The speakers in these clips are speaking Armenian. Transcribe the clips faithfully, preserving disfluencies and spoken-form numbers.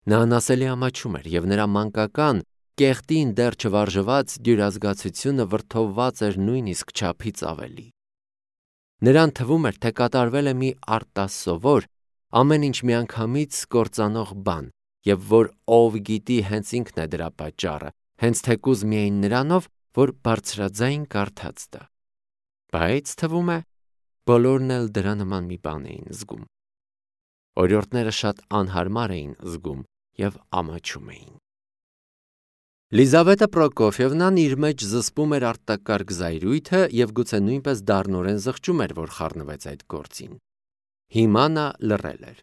Նա անասելի ամաչում էր, և նրա մանկական, կեղտին դեռ չվարժված դյուրազգացությունը վրդովված էր նույնիսկ չափից ավելի։ Նրան թվում էր, թե կատարվել է մի արտասովոր, ամեն ինչ միանգամից կործանող բան, և որ ով գիտի հենց ինքն է դրա պատճառը, հենց թեկուզ միայն նրանով, որ բարձրաձայն կարդաց դա։ Բայց թվում է, բոլորն էլ դրա նման մի բան էին զգում։ Օրիորդները շատ անհարմար էին զգում և ամաչում էին։ Լիզավետա Պրոկոֆիևնան իր մեջ զսպում էր արտակարգ զայրույթը և գուցե նույնպես դառնորեն զղջում էր, որ խառնվեց այդ գործին։ Հիմա նա լռել էր։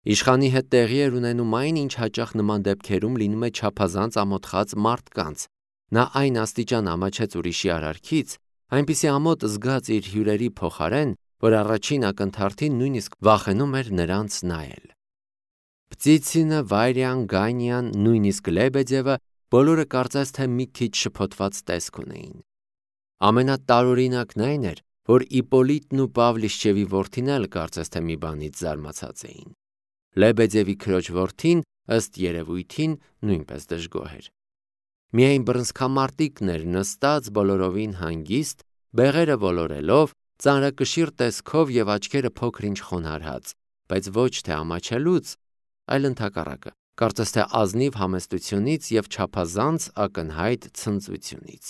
Իշխանի հետ տեղի էր ունենում այն, ինչ հաճախ նման դեպքերում լինում է չափազանց ամոթխած մարդկանց։ Նա այն աստիճան ամաչեց ուրիշի արարքից, այնպիսի ամոթ զգաց իր հյուրերի փոխարեն, որ առաջին ակնթարթին նույնիսկ վախենում էր նրանց նայել։ Պտիցինը, Վայրյան, Գանյան, նույնիսկ Լեբեդևը բոլորը կարծես թե մի քիչ շփոթված տեսք ունեին։ Ամենատարօրինակն այն էր, որ Իպոլիտն ու Պավլիշչևի որդին էլ կարծես թե մի բանից զարմացած էին։ Լեբեդևի քրոջ որդին, ըստ երևույթին, նույնպես դժգոհ էր։ Միայն բռնցքամարտիկն էր նստած բոլորովին հանգիստ, բեղերը ոլորելով, ծանրակշիռ տեսքով և աչքերը փոքր-ինչ խոնարհած, բայց ոչ թե ամաչելուց, այլ ընդհակառակը, կարծես թե ազնիվ համեստությունից և չափազանց ակնհայտ ցնծությունից։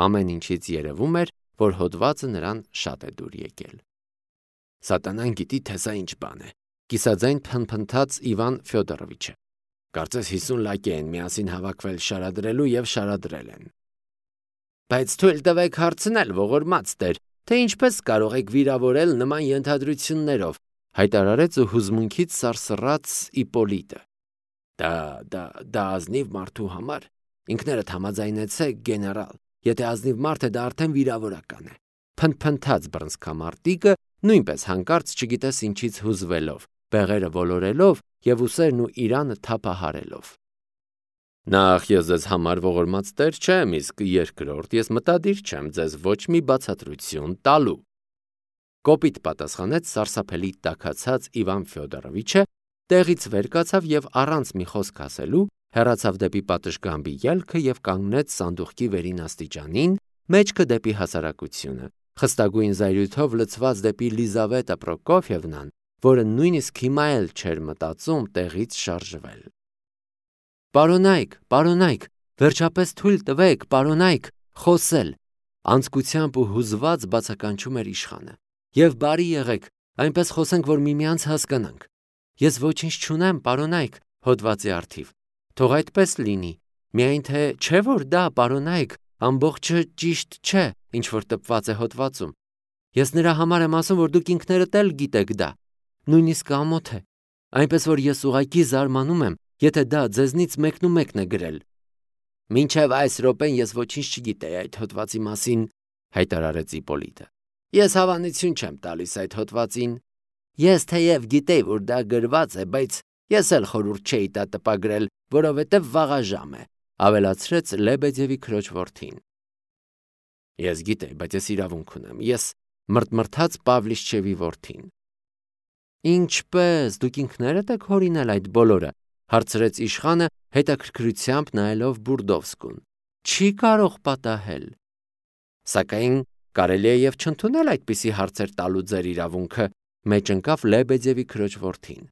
Ամեն ինչից երևում էր, որ հոդվածը նրան շատ է դուր եկել։ Սատանան գիտի, թե սա ինչ բան է, կիսաձայն փնփնթաց Իվան Ֆյոդորովիչը։ Կարծես հիսուն լակի են միասին հավաքվել շարադրելու և շարադրել են։ Բայց թույլ տվեք հարցնել, ողորմած Տեր, թե ինչպես կարող եք վիրավորել նման ենթադրություններով, հայտարարեց ու հուզմունքից սարսռաց Իպոլիտը։ Դա, դա, դա ազնիվ մարդու համար, ինքներդ համաձայնեցեք, գեներալ, եթե ազնիվ մարդ է, դա արդեն վիրավորական է, փնփնթաց բռնցքամարտիկը, նույնպես հանկարծ չգիտես ինչից հուզվելով, բեղերը ոլորելով և ուսերն ու իրանը թափահարելով։ Նախ ես ձեզ համար ողորմած Տեր չեմ, իսկ երկրորդ ես մտադիր չեմ ձեզ ոչ մի բացատրություն տալու։ Կոպիտ պատասխանեց սարսափելի տաքացած Իվան Ֆյոդորովիչը, տեղից վեր կացավ և առանց մի խոսք ասելու հեռացավ դեպի պատշգամբի ելքը և կանգնեց սանդուղքի վերին աստիճանին, մեջքը դեպի հասարակությունը, խստագույն զայրույթով լցված դեպի Լիզավետա Պրոկոֆիևնան, որը նույնիսկ հիմա էլ չէր մտածում տեղից շարժվել։ Պարոնայք, պարոնայք, վերջապես թույլ տվեք, պարոնայք, խոսել, անձկությամբ ու հուզված բացականչում էր իշխանը։ Եվ բարի եղեք, այնպես խոսենք, որ միմյանց հասկանանք։ Ես ոչինչ չունեմ, պարոնայք, հոդվածի առթիվ։ Թող այդպես լինի, միայն թե չէ որ դա, պարոնայք, ամբողջը ճիշտ չէ, ինչ որ տպված է հոդվածում։ Ես նրա համար եմ ասում, որ դուք ինքներդ էլ գիտեք դա, նույնիսկ ամոթ է, այնպես որ ես ուղղակի զարմանում եմ, եթե դա ձեզնից մեկնումեկն է գրել։ Մինչև այս րոպեն ես ոչինչ չգիտեի այդ հոդվածի մասին, հայտարարեց Իպոլիտը։ Ես հավանություն չեմ տալիս այդ հոդվածին։ Ես թեև գիտեի, որ դա գրված է, բայց ես էլ խորհուրդ չէի տա տպագրել, որովհետև վաղաժամ է, ավելացրեց Լեբեդևի քրոջ որդին։ Ես գիտեի, բայց ես իրավունք ունեմ, ես մրթմրթաց Պավլիշչևի որդին։ Ինչպե՞ս, դուք ինքներդ եք հորինել այդ բոլորը, հարցրեց իշխանը հետաքրքրությամբ նայելով Բուրդովսկուն։ Չի կարող պատահել։ Սակայն կարելի է և չընդունել այդպիսի հարցեր տալու ձեր իրավունքը, մեջ ընկավ Լեբեդևի քրոջ որդին։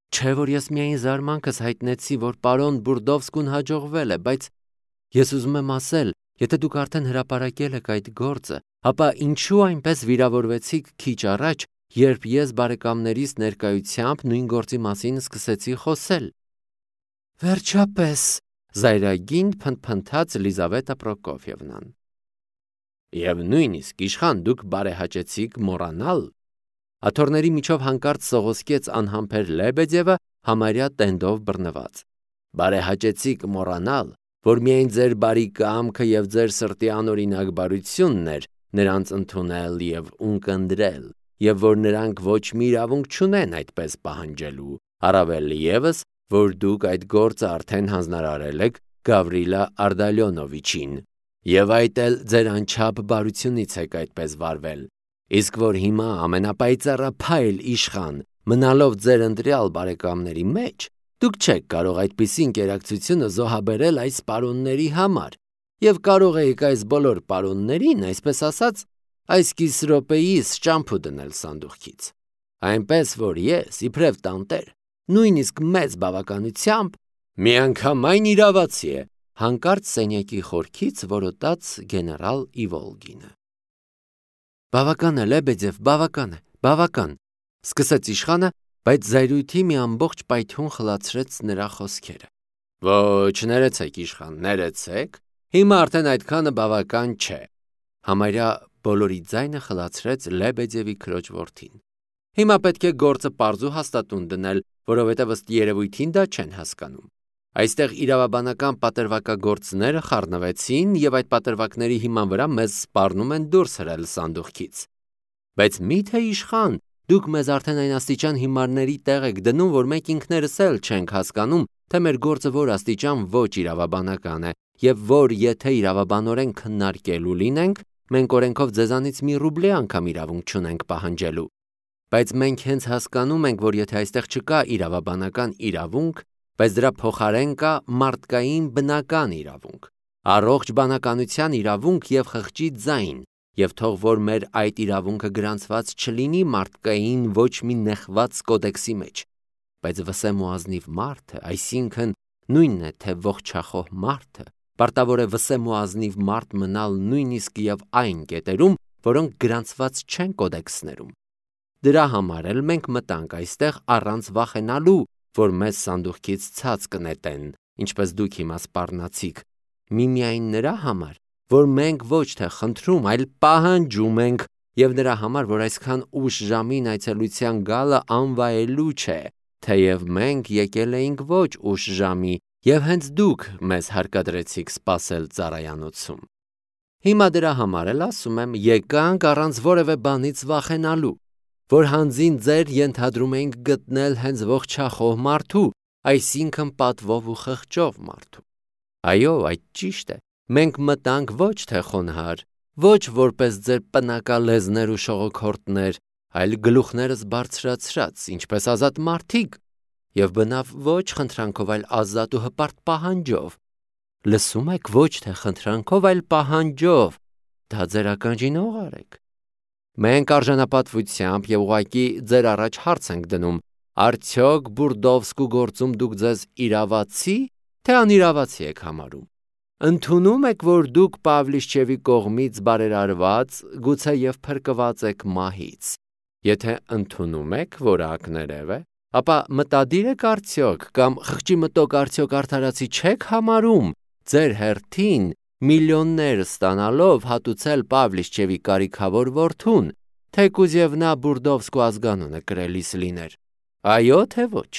Չէ որ ես միայն զարմանքս հայտնեցի, որ պարոն Բուրդովսկուն հաջողվել է, բայց ես ուզում եմ ասել, եթե դուք արդեն հրապարակել եք այդ գործը, ապա ինչու այնպես վիրավորվեցիք քիչ առաջ, երբ ես բարեկամներիս ներկայությամբ նույն գործի մասին սկսեցի խոսել։ Վերջապես, զայրագին փնփնթաց Լիզավետա Պրոկոֆիևնան։ Եվ նույնիսկ իշխան դուք բարեհաճեցիք մոռանալ։ Աթոռների միջով հանկարծ սողոսկեց անհամբեր Լեբեդևը համարյա տենդով բռնված։ Բարեհաճեցիք մոռանալ, որ միայն ձեր բարի կամքը և ձեր սրտի անօրինակ բարությունն էր նրանց ընդունել և ունկնդրել, և որ նրանք ոչ մի իրավունք չունեն այդպես պահանջելու, առավել ևս, որ դուք այդ գործը արդեն հանձնարարել եք Գավրիլա Արտալյոնովիչին, և այդ էլ ձեր անչափ բարությունից եք այդպես վարվել, իսկ որ հիմա ամենապայծառափայլ իշխան, մնալով ձեր ընտրյալ բարեկամների մեջ, Դուք չեք կարող այդպիսի ինտերակցիոնը զոհաբերել այս պարոնների համար, եւ կարող եք այս բոլոր պարոններին, այսպես ասած, այս կես րոպեիս ճամփու դնել սանդուղքից։ Այնպես որ ես, իբրև տանտեր, նույնիսկ մեծ բավականությամբ միանգամայն իրավացի է, հանկարծ սենյակի խորքից որոտաց գեներալ Իվոլգինը։ Բավական է, Լեբեդև, բավական է, բավական, սկսեց իշխանը, բայց զայրույթի մի ամբողջ պայթյուն խլացրեց նրա խոսքերը։ Ոչ, ներեցեք, իշխան, ներեցեք, հիմա արդեն այդքանը բավական չէ։ Համարյա բոլորի ձայնը խլացրեց Լեբեդևի քրոջ որդին։ Հիմա պետք է գործը պարզ ու հաստատուն դնել, որովհետև ըստ երևույթին դա չեն հասկանում։ Այստեղ իրավաբանական պատրվակագործները խառնվեցին եւ այդ պատրվակների հիման վրա մեզ սպառնում են դուրս հրել սանդուղքից։ Բայց միթե իշխան, դուք մեզ արդեն այն աստիճան հիմարների տեղ եք դնում, որ մենք ինքներս էլ չենք հասկանում, թե մեր գործը որ աստիճան ոչ իրավաբանական է եւ որ եթե իրավաբանորեն քննարկելու լինենք, մենք օրենքով ձեզանից մի ռուբլի անգամ իրավունք չունենք պահանջելու։ Բայց մենք հենց հասկանում ենք, որ եթե այստեղ չկա իրավաբանական իրավունք, բայց դրա փոխարեն կա մարդկային բնական իրավունք, առողջ բանականության իրավունք եւ խղճի ձայն, եւ թող որ մեր այդ իրավունքը գրանցված չլինի մարդկային ոչ մի նեղված կոդեքսի մեջ, բայց վսեմ ու ազնիվ մարդը, այսինքն նույնն է թե ողջախոհ մարդը, պարտավոր է վսեմ ու ազնիվ մարդ մնալ նույնիսկ եւ այն կետերում, որոնք գրանցված չեն կոդեքսներում։ Դրա համար էլ մենք մտանք այստեղ առանց վախենալու, որ մեզ սանդուղքից ցած կնետեն, ինչպես դուք հիմա սպառնացիք, միմիայն նրա համար, որ մենք ոչ թե խնդրում, այլ պահանջում ենք, եւ նրա համար, որ այսքան ուշ ժամին այցելության գալը անվայելու չէ, թեև մենք եկել էինք ոչ ուշ ժամի, եւ հենց դուք մեզ հարկադրեցիք սպասել ծառայանոցում։ Հիմա դրա համար էլ ասում եմ, եկանք առանց որևէ բանից վախենալու, որ հանձին ձեր ենթադրում էինք գտնել հենց ողջախոհ մարդու, այսինքն պատվով ու խղճով մարդու։ Այո, այդ ճիշտ է, մենք մտանք ոչ թե խոնհար, ոչ որպես ձեր պնակալեզներ ու շողոքորտներ, այլ գլուխներս բարձրացրած, ինչպես ազատ մարդիկ, եւ բնավ ոչ խնդրանքով, այլ ազատ ու հպարտ պահանջով։ Լսում եք, ոչ թե խնդրանքով, այլ պահանջով, դա ձեր ականջին օղարեք։ Մենք արժանապատվությամբ եւ ուղղակի ձեր առաջ հարց ենք դնում, արդյոք Բուրդովսկու գործում դուք ձեզ իրավացի, թե անիրավացի եք համարում։ Ընդունում եք, որ դուք Պավլիշչևի կողմից բարերարված, գուցե եւ փրկված եք մահից։ Եթե ընդունում եք, որ ակներև է, ապա մտադիր եք արդյոք կամ խղճի մտոք արդյոք արդարացի չեք համարում ձեր հերթին միլիոններ ստանալով հատուցել Պավլիշչևի կարիքավոր որդուն, թեկուզ եւ նա Բուրդովսկու ազգանունը կրելիս լիներ։ Այո, թե ոչ։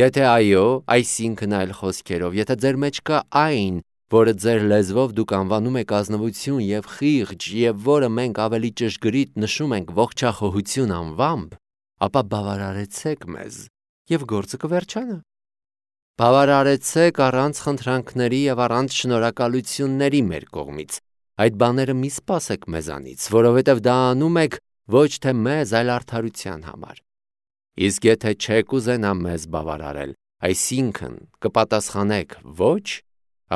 Եթե այո, այսինքն այլ խոսքերով, եթե ձեր մեջ կա այն, որը ձեր լեզվով դուք անվանում եք ազնվություն եւ խիղճ եւ որը մենք ավելի ճշգրիտ նշում ենք ողջախոհություն անվամբ, ապա բավարարեցեք մեզ եւ գործը կվերջանա։ Բավարարեցեք առանց խնդրանքների եւ առանց շնորհակալությունների մեր կողմից։ Այդ բաները մի սպասեք մեզանից, որովհետեւ դա անում եք ոչ թե մեզ, այլ արդարության համար։ Իսկ եթե չեք ուզենա մեզ բավարարել, այսինքն կպատասխանեք ոչ,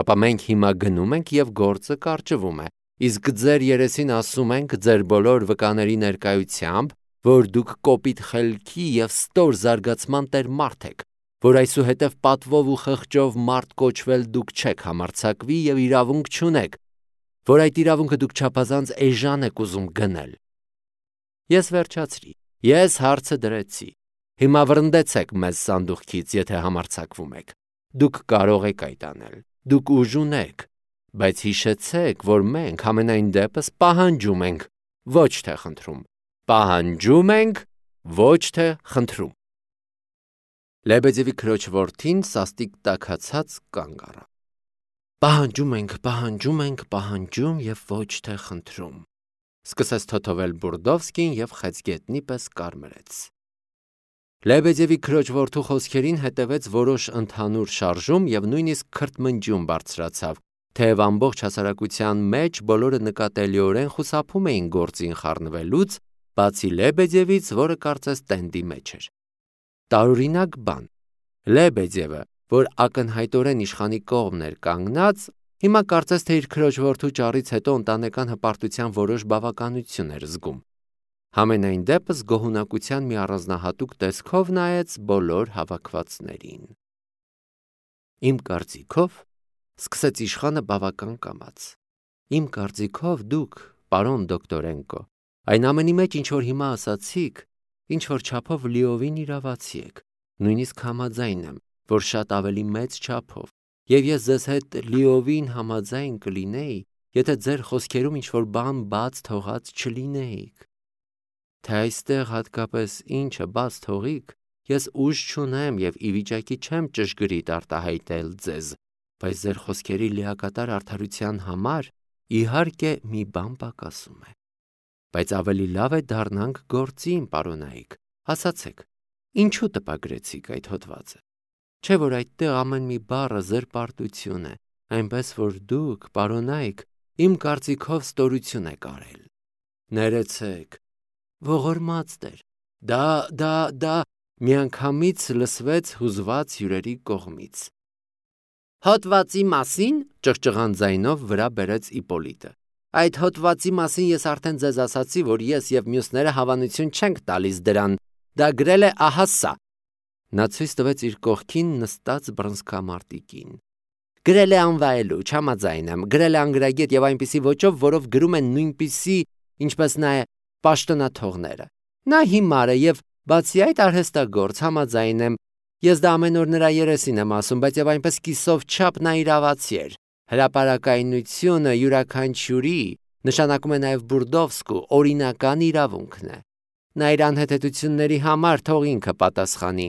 ապա մենք հիմա գնում ենք եւ գործը կարճվում է, իսկ ձեր երեսին ասում ենք ձեր բոլոր վկաների ներկայությամբ, որ դուք կոպիտ խելքի եւ ստոր զարգացման տեր մարդ եք, որ այսուհետև պատվով ու խղճով մարդ կոչվել դուք չեք համարձակվի եւ իրավունք չունեք, որ այդ իրավունքը դուք չափազանց էժան եք ուզում գնել։ Ես վերջացրի, ես հարցը դրեցի, հիմա վրընդեցեք մեզ սանդուղքից, եթե համարձակվում եք, դուք կարող եք այդ անել, դուք ուժ ունեք, բայց հիշեցեք, որ մենք ամենայն դեպս պահանջում ենք, ոչ թե խնդրում, պահանջում ենք, ոչ թե խնդրում։ Լեբեդևի քրոջ որդին սաստիկ տաքացած կանգ առավ։ Պահանջում ենք, պահանջում ենք, պահանջում եւ ոչ թե խնդրում։ Սկսեց թոթովել Բուրդովսկին եւ խեցգետնի պես կարմրեց։ Լեբեդևի քրոջ որդու խոսքերին հետևեց որոշ ընդհանուր շարժում եւ նույնիսկ քրթմնջյուն բարձրացավ, թեև ամբողջ հասարակության մեջ բոլորը նկատելիորեն խուսափում էին գործին խառնվելուց, բացի Լեբեդևից, որը կարծես տենդի մեջ էր։ Տարօրինակ բան։ Լեբեդևը, որ ակնհայտորեն իշխանի կողմն էր կանգնած, հիմա կարծես թե իր քրոջ որդու ճառից հետո ընտանեկան հպարտության որոշ բավականություն էր զգում։ Համենայն դեպս գոհունակության մի առանձնահատուկ տեսքով նայեց բոլոր հավաքվածներին։ Իմ կարծիքով, սկսեց իշխանը բավական կամաց, իմ կարծիքով դուք, պարոն դոկտորենկո, այն ամենի մեջ ինչ որ հիմա ասացիք, ինչ որ չափով լիովին իրավացի եք, նույնիսկ համաձայն եմ, որ շատ ավելի մեծ չափով, եւ ես ձեզ հետ լիովին համաձայն կլինեի, եթե ձեր խոսքերում ինչ որ բան բաց թողած չլինեիք։ Թե այստեղ հատկապես ինչը բաց թողիք, ես ուժ չունեմ եւ ի վիճակի չեմ ճշգրիտ արտահայտել ձեզ, բայց ձեր խոսքերի լիակատար արդարության համար իհարկե մի բան պակասում է։ Բայց ավելի լավ է դառնանք գործին, պարոնայք, ասացեք, ինչու տպագրեցիք այդ հոդվածը։ Չէ՞ որ այդտեղ ամեն մի բառը զրպարտություն է, այնպես որ դուք, պարոնայք, իմ կարծիքով ստորություն եք արել։ Ներեցեք, ողորմած Տեր, դա, դա, դա միանգամից լսվեց հուզված հյուրերի կողմից։ Հոդվածի մասին, ճղճղան ձայնով վրա բերեց Իպոլիտը։ Այդ հոդվածի մասին ես արդեն ձեզ ասացի, որ ես եւ մյուսները հավանություն չենք տալիս դրան, դա գրել է ահա սա։ Նա ցույց տվեց իր կողքին նստած բռնցքամարտիկին։ Գրել է անվայելու, չհամաձայն եմ, գրել է անգրագետ եւ այնպիսի ոճով, որով գրում են նույնպիսի, ինչպես նա է պաշտոնաթողները։ Նա հիմար է եւ բացի այդ արհեստագործ, համաձայն եմ, ես դա ամեն օր նրա երեսին եմ ասում, բայց եւ այնպես կիսով չափ նա իրավացի էր։ Հրապարակայնությունը յուրաքանչյուրի, նշանակում է նաեւ Բուրդովսկու, օրինական իրավունքն է։ Նա իր անհեթեթությունների համար թող ինքը պատասխանի։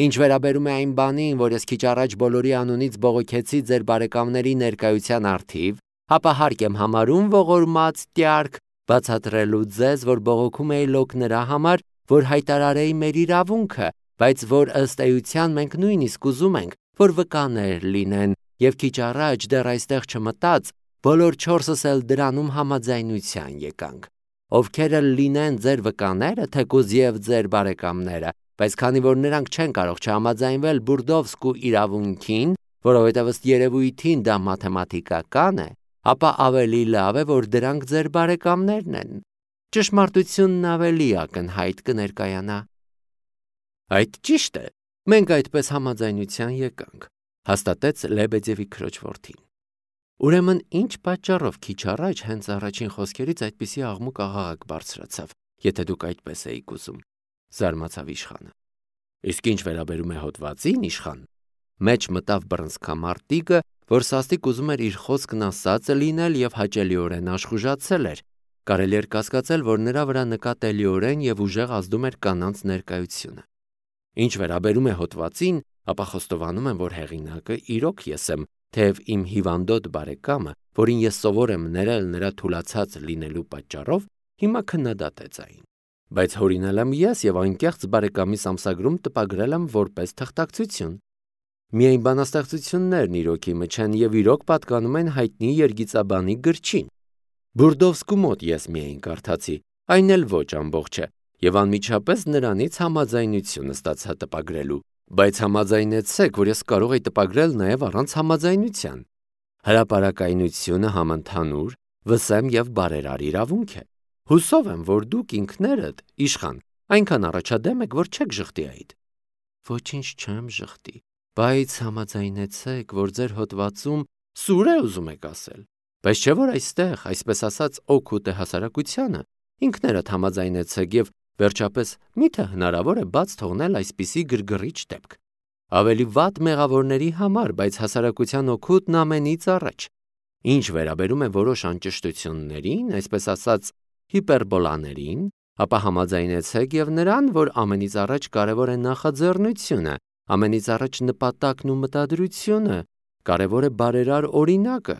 Ինչ վերաբերում է այն բանին, որ ես քիչ առաջ բոլորի անունից բողոքեցի ձեր բարեկամների ներկայության առթիվ, ապա հարկ եմ համարում ողորմած Տյարք բացատրելու ձեզ, որ բողոքում էի լոկ նրա համար, որ հայտարարեի մեր իրավունքը, բայց որ ըստ էության մենք նույնիսկ ուզում ենք, որ վկաներ լինեն, եւ քիչ առաջ դեռ այստեղ չմտած, բոլոր չորսս էլ դրանում համաձայնության եկանք։ Ովքեր լինեն ձեր վկաները, թեկուզ եւ ձեր բարեկամները, բայց քանի որ նրանք չեն կարող չհամաձայնվել Բուրդովսկու իրավունքին, որովհետև ըստ երևույթին դա մաթեմատիկական է, ապա ավելի լավ է, որ դրանք ձեր բարեկամներն են։ Ճշմարտությունն ավելի ակնհայտ կներկայանա։ Այդ ճիշտ է, մենք այդպես համաձայնության եկանք, հաստատեց Լեբեդևի քրոջ որդին։ Ուրեմն ինչ պատճառով քիչ առաջ հենց առաջին խոսքերից այդպիսի աղմուկ աղաղակ բարձրացավ, եթե դուք այդպես էիք ուզում, զարմացավ իշխանը։ Իսկ ինչ վերաբերում է հոդվածին, իշխան, մեջ մտավ բռնցքամարտիկը, որ սաստիկ ուզում էր իր խոսքն ասածը լինել եւ հաճելիորեն աշխուժացել էր, կարելի էր կասկածել, որ նրա վրա նկատելիորեն եւ ուժեղ ազդում էր կանանց ներկայությունը։ Ինչ վերաբերում է հոդվածին, ապա խոստովանում եմ, որ հեղինակը իրոք ես եմ, թեև իմ հիվանդոտ բարեկամը, որին ես սովոր եմ ներել նրա թուլացած լինելու պատճառով, հիմա քննադատեց այն։ Բայց հորինել եմ ես եւ անկեղծ բարեկամիս ամսագրում տպագրել եմ որպես թղթակցություն։ Միայն բանաստեղծություններն իրոք իմը չեն եւ իրոք պատկանում են հայտնի երգիծաբանի գրչին։ Բուրդովսկու մոտ ես միայն կարդացի, այն էլ ոչ ամբողջը, եւ անմիջապես նրանից համաձայնություն ստացա տպագրելու, բայց համաձայնեցեք, որ ես կարող եի տպագրել նաեւ առանց համաձայնության։ Հրապարակայնությունը համընդհանուր, վսեմ եւ բարերար իրավունք է։ Հուսով եմ, որ դուք ինքներդ, իշխան, այնքան առաջադեմ եք, որ չեք ժխտի այդ։ Ոչինչ չեմ ժխտի, բայց համաձայնեցեք, որ ձեր հոդվածում սուր է ուզում եք ասել։ Բայց չէ՞ որ այստեղ, այսպես ասած, օգուտ է հասարակությանը, ինքներդ համաձայնեցեք եւ վերջապես միթե հնարավոր է բաց թողնել այսպիսի գրգռիչ դեպք։ Ավելի վատ մեղավորների համար, բայց հասարակության օգուտն ամենից առաջ։ Ինչ վերաբերում է որոշ անճշտություններին, այսպես ասած, հիպերբոլաներին, ապա համաձայնեցեք եւ նրան, որ ամենից առաջ կարևոր է նախաձեռնությունը, ամենից առաջ նպատակն ու մտադրությունը, կարևոր է բարերար օրինակը,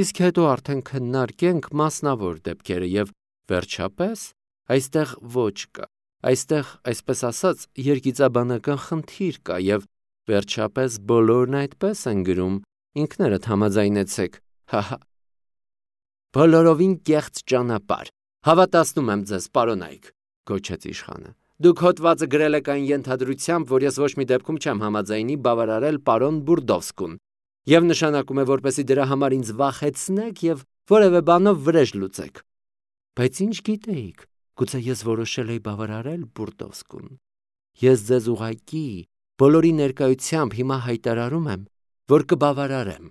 իսկ հետո արդեն քննարկենք մասնավոր դեպքերը եւ վերջապես այստեղ ոչ կա, այստեղ, այսպես ասած, երգիծաբանական խնդիր կա եւ վերջապես բոլորն այդպես են գրում, ինքներդ համաձայնեցեք, հահա։ Բոլորովին կեղծ ճանապարհ, հավատացնում եմ ձեզ, պարոնայք, գոչեց իշխանը, Դուք հոդվածը գրել եք այն ենթադրությամբ, որ ես ոչ մի դեպքում չեմ համաձայնի բավարարել պարոն Բուրդովսկուն, եւ նշանակում է, որպեսզի դրա համար ինձ վախեցնեք եւ որևէ բանով վրեժ լուծեք։ Բայց ինչ գիտեիք, գուցե ես որոշել էի բավարարել Բուրդովսկուն։ Ես ձեզ ուղղակի բոլորի ներկայությամբ հիմա հայտարարում եմ, որ կբավարարեմ։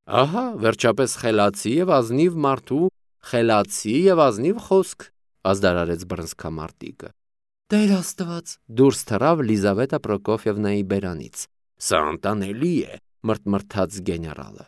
Ահա, վերջապես խելացի եւ ազնիվ մարդու խելացի եւ ազնիվ խոսք, ազդարարեց բռնցքամարտիկը։ Տեր Աստված, դուրս թռավ Լիզավետա Պրոկոֆիևնայի բերանից։ Սա անտանելի է, մրթմրթաց գեներալը։